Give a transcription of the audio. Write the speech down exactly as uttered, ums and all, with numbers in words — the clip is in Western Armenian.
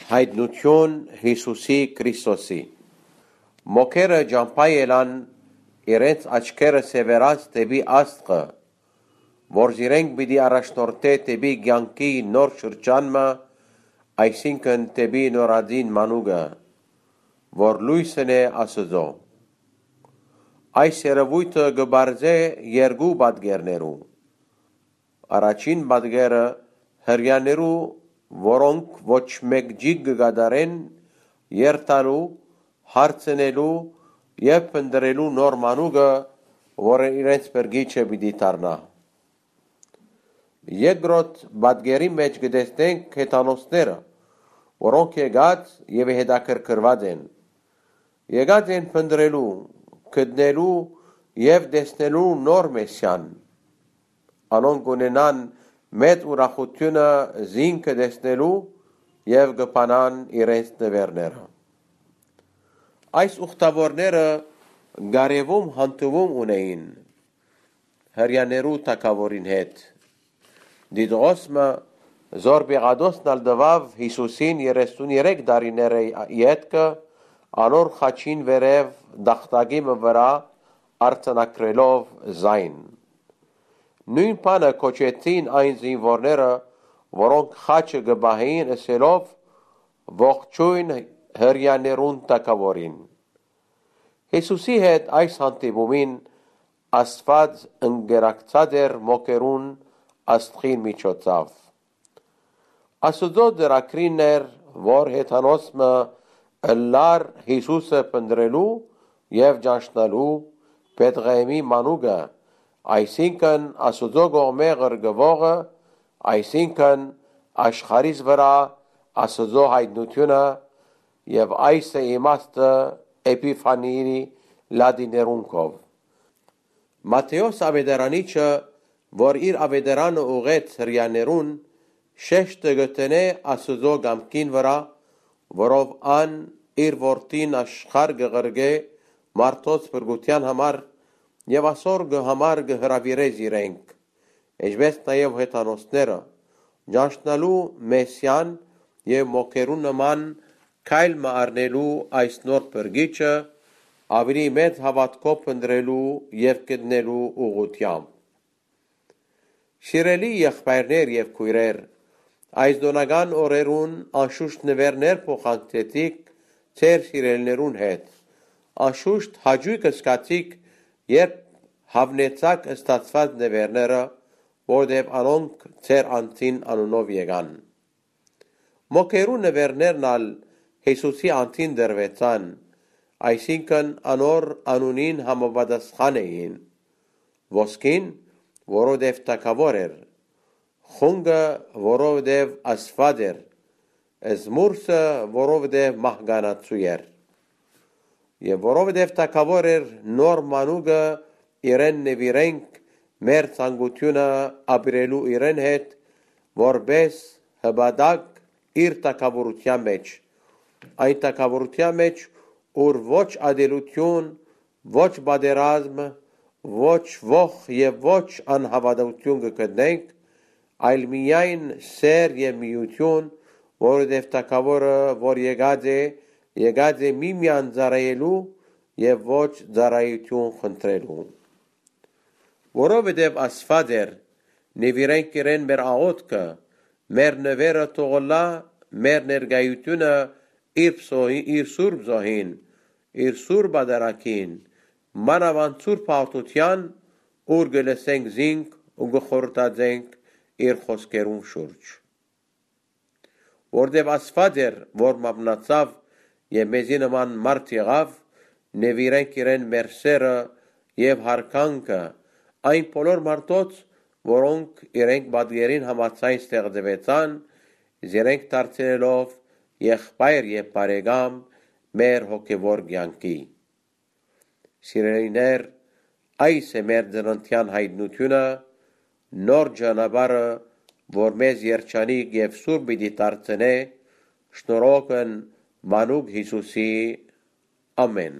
Հայտնութիւն Յիսուսի Քրիստոսի։ Մոքերը ճամբայ ելան իրենց աչքերը սեւեռած դէպի աստղը, որ զիրենք պիտի առաջնորդէ դէպի կեանքի նոր շրջան մը, այսինքն դէպի նորածին մանուկը, որ լոյսն է Աստուծոյ։ Այս երեւոյթը կը պարզէ երկու պատկերներու։ Առաջին պատկերը հրեաներու, որոնք ոչ մէկ ճիգ կը կատարեն երթալու, հարցնելու եւ փնտռելու նոր մանուկը, որը իրենց փրկիչը պիտի դառնայ։ Երկրորդ պատկերի մէջ կը տեսնենք հեթանոսները, որոնք եկած եւ հետաքրքրուած են։ Եկած են փնտռելու, գտնելու եւ տեսնելու նոր Մեսիան։ Անոնք կ'ունենան մեծ ուրախութիւնը զինքը տեսնելու եւ կը փանան իրենց նուէրները։ Այս ուխտաւորները կարեւում հանդիպում ունէին հրեաներու թագաւորին հետ։ Դիտողոս մը, զոր Պիղատոսն ալ տուաւ Յիսուսին երեսուներեք տարիները ետքը, անոր խաչին վերեւ տախտակի մը վրայ արձանագրելով զայն։ Նոյն բանը կոչեցին այն զինուորները, որոնք խաչը կը պահէին, ըսելով. «Ողջոյն հրեաներուն թագաւորին»։ Յիսուսի հետ այս հանդիպումին Աստուած ընկերակցած էր մոքերուն աստղին միջոցով։ Աստուծոյ ծրագրին էր, որ հեթանոս մը ըլլար Յիսուսը փնտռելու եւ ճանչնալու Բեթղեհէմի մանուկը, այսինքն Աստուծոյ կողմէ ղրկուողը, այսինքն աշխարհիս վրայ Աստուծոյ հայտնութիւնը, եւ այս է իմաստը Էփիֆանիի լատիներուն կով։ Մատթէոս աւետարանիչը, որ իր աւետարանը ուղղեց հրեաներուն, շեշտը կը դնէ Աստուծոյ կամքին վրայ, որով ան իր որդին աշխարհ կը ղրկէ մարդոց փրկութեան համար եւ ասոր կը համար կը հրաւիրէ զիրենք, ինչպէս նաեւ հեթանոսները, ճանչնալու Մեսիան եւ մոքերու նման քայլ մը առնելու այս նոր փրկիչը, աւելի մեծ հաւատքով փնտռելու եւ գտնելու ուղղութեամբ։ Սիրելի եղբայրներ եւ քոյրեր, այս տօնական օրերուն անշուշտ նուէրներ փոխանցեցիք ձեր սիրելիներուն հետ։ Անշուշտ հաճոյք զգացիք, երբ հաւնեցաք ստացուած նուէրները, որտեւ անոնք ձեր անձին անունով եկան։ Մոքերու նուէրներն ալ Յիսուսի անձին տրուեցան, այսինքն անոր անունին համապատասխան էին։ Ոսկին, որովհետեւ թագաւոր էր, խունկը, որովհետեւ Աստուած էր, զմուրսը, որովհետեւ մահկանացու էր։ Եւ որովհետեւ թագաւոր էր նոր մանուկը, իրեն նուիրենք մեր ցանկութիւնը ապրելու իրեն հետ, որպէս հպատակ իր թագաւորութեան մէջ, այն թագաւորութեան մէջ, ուր ոչ ատելութիւն, ոչ պատերազմ, ոչ ոխ եւ ոչ անհաւատութիւն կը գտնենք, այլ միայն սէր եւ միութիւն, որովհետեւ թագաւորը, որ եկած է, եկած է միմեան ծառայելու եւ ոչ ծառայութիւն խնդրելու։ Որովհետեւ Աստուած էր, նուիրենք իրեն մեր աղօթքը, մեր նուէրը թող ըլլայ մեր ներկայութիւնը իր պսոյ-, իր սուրբ զոհին, իր սուրբ ադարակին, մանաւանդ սուրբ հաղթութեան, ուր կը լսենք զինք ու կը խորհրդածենք իր խօսքերուն շուրջ։ Որտեւ Աստուած էր, որ մատնացաւ եւ մեզի նման մարդ եղաւ, նուիրենք իրեն մեր սէրը եւ յարգանքը այն բոլոր մարդոց, որոնք իրենք պատկերին համաձայն ստեղծուեցան, զիրենք դարձնելով եղբայր եւ բարեկամ մեր հոգեվոր կեանքի։ Սիրելիներ, այս է մեր ծննդեան հայտնութիւնը, նոր ճանապարհը, որ մեզ երջանիկ եւ սուրբ պիտի դարձնէ, շնորհողն մանուկ Յիսուսի։ Ամէն։